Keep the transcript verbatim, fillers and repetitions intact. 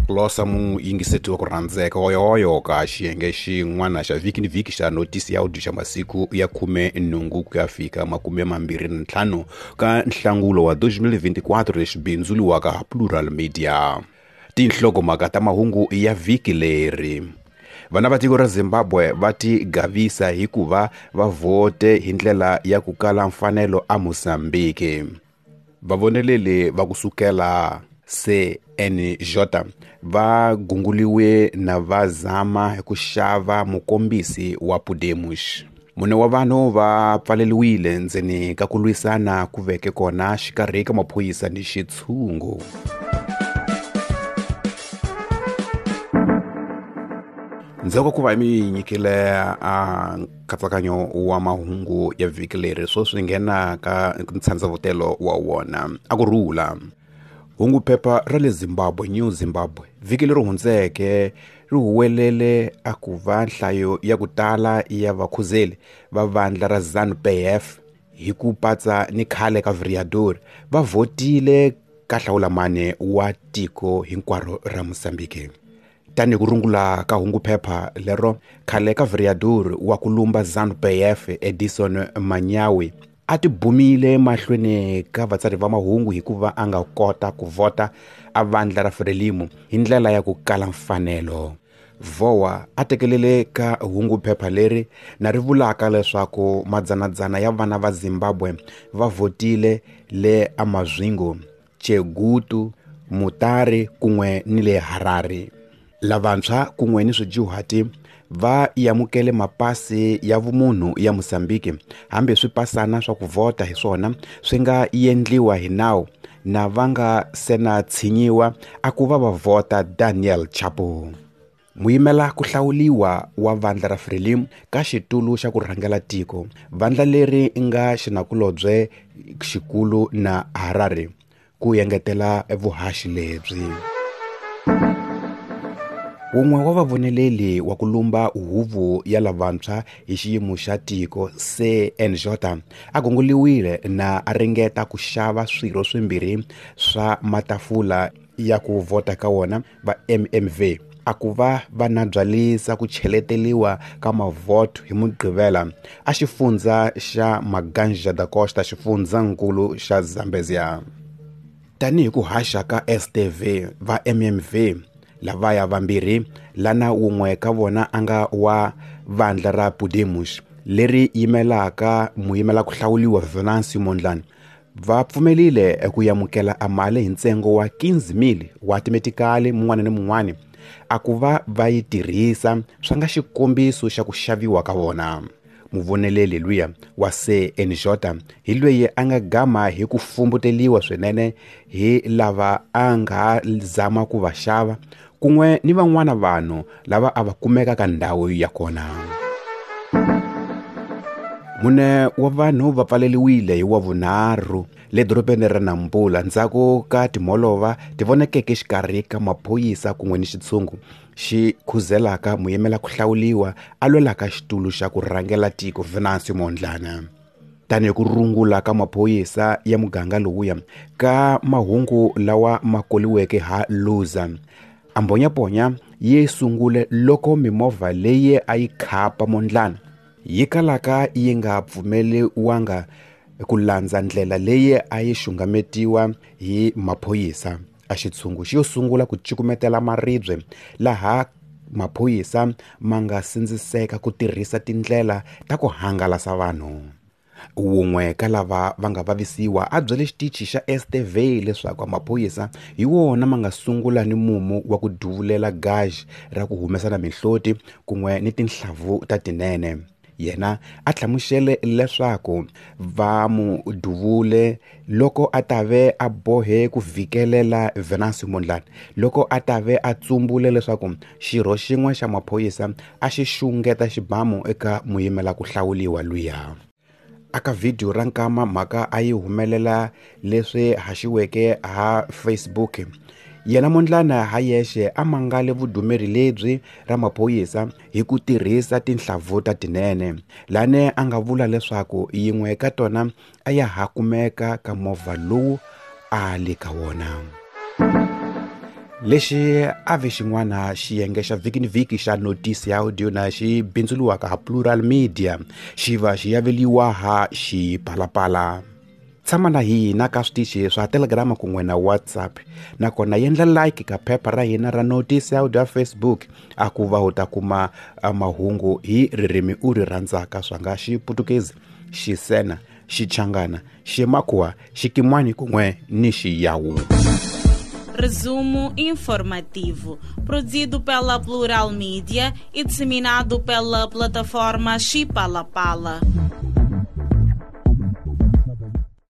Losa muyingiseti wa ku rhandzeka oyoyo ka xiyenge xin'wana xa vhiki ni vhiki xa notisi ya audio xa masiku ya khume nhungu ku ya fika makume mambirhi na ntlhanu ka nhlangulo wa twenty twenty-four lexi bindzuriwaka Plural Media. Tinhlokomhaka ta mahungu ya vhiki leri. Vana va tiko ra Zimbabwe va tigavisa hikuva va vhote hi ndlela ya ku kala mfanelo a Mozambique. Vavoneleli va kusukela C N J va gunguliwe na va zama ku xava mukombisi wa Podemos. Mune wa vanhu va pfaleliwile ndzeni ka ku lwisana ku veke kona xikarhi ka maphorisa ni xitshungu. Ndzhaku ku va mi nyikile a nkatsakanyo wa mahungu ya vhiki leri sweswi nghena ka ntshandzavutelo wa wona a ku rhula. Hungu phepha ra le Zimbabwe New Zimbabwe vhiki leri hundzeke ri huwelele a ku va nhlayo ya ku tala ya vakhuzeli va vandla ra ZANU P F hi ku patsa ni khale ka vereador va vhotile ka hlawulamane wa tiko hinkwaro ra Mozambique. Tani ku rungula ka hungu phepha lero khale ka vereador wa ku lumba ZANU P F Edison Manyawi a tibumile mahlweni ka vatsari va mahungu hikuva a nga kota ku vhota a vandla ra Frelimo hi ndlela ya ku kala mfanelo. Vowa a tekelele ka hungu phepha leri na ri vulaka leswaku madzanadzana ya vana va Zimbabwe va vhotile le Amazwingo, Chegutu, Mutare kun'we ni le Harare. Lavantshwa kun'we ni swidyuhati va yamukele mapasi ya vumunhu ya Mozambique hambi swipasana swa ku vhota hi swona swi nga endliwa hi nawu na va nga sena tshinyiwa a ku va va vhota Daniel Chapo. Muyimela ku hlawuliwa wa vandla ra Frelimo ka xitulu xa ku rhangela tiko vandla leri nga xinakulobye xikulu na Harare ku engetela vuhaxi lebyi. Wun'we wa vavoneleli wa ku lumba huvo ya lavantshwa hi xiyimo xa tiko C N J a gunguliwile na a ringeta ku xava swirho swimbirhi swa matafula ya ku vhota ka wona va M M V a ku va va na byalisa ku cheleteliwa ka mavhoto hi Mugqivela a xifundza xa Maganja da Costa xifundzankulu xa Zambezia. Tanihi ku haxa ka S T V va M M V lavaya vambirhi lana wun'we ka vona a nga wa vandla ra Podemos leri yimelaka muyimela ku hlawuliwa Venancio Mondlane va pfumelile ku yamukela a mali hi ntsengo wa quinze mil wa timetikali mun'wana ni mun'wana a ku va va yi tirhisa swa nga xikombiso xa ku xaviwa ka vona. Muvoneleli luya wa C N J hi loyi a nga gama hi ku fumbuteliwa swinene hi lava a nga zama ku va xava kun'we ni van'wana vanhu lava a va kumeka ka ndhawu ya kona. Mune wa vanhu va pfaleliwile hi wa vunharhu le dorobeni ra Nampula ndzhaku ka timholova ti vonakeke xikarhi ka maphorisa kun'we ni xitshungu xi khuzelaka muyimela ku hlawuliwa a lwelaka xitulu xa ku rhangela tiko Venancio Mondlane. Tanihi ku rungula ka maphorisa ya muganga lowuya ka mahungu lawa ma koliweke ha Luza a mbonyaponya yi sungule loko mimovha leyi a yi khapa Mondlane yi kalaka yi nga pfumeliwanga ku landza ndlela leyi a yi xungametiwa hi maphorisa. A xitshungu xi yo sungula ku cukumetela maribye laha maphorisa ma nga sindziseka ku tirhisa tindlela ta ku hangalasa vanhu. Wun'we ka lava va nga vavisiwa a byele xitichi xa S T V leswaku maphorisa hi wona ma nga sungula ni mumu wa ku duvulela gaj ra ku humesa na mihloti kun'we ni tinhlavu ta tinene. Yena a hlamusele leswaku va mu duvule loko a tave a bohe ku vhikelela Venancio Mondlane loko a tave a tsumbule leswaku xirho xin'we xa maphorisa a xi xungeta xibamu eka muyimela ku hlawuliwa luya. Aka video ra nkama mhaka a yi humelela leswi haxiweke ha Facebook. Yena Mondlane ha yexe a mangale vudumeri lebyi ra maphorisa hi ku tirhisa tinhlavu ta tinene lane a nga vula leswaku yin'we ka tona a ya ha kumeka ka movha lowu a le ka wona. Lexi a ve xin'wana xiyenge xa vhiki ni vhiki xa notisi ya audio na xi bindzuriwaka ha Plural Media, xi va xi yaveliwa ha Xipalapala. Tshama na hina ka switichi swa Telegram kun'we na WhatsApp, nakona yendla like ka phepha ra hina ra notisi ya audio ya Facebook, a ku va u ta kuma mahungu hi ririmi u ri rhandzaka, swa nga Xiputukezi, Xisena, Xichangana, Ximakhuwa, Xikimwani kun'we ni Xiyawu. Resumo informativo, produzido pela Plural Media e disseminado pela plataforma Xipalapala.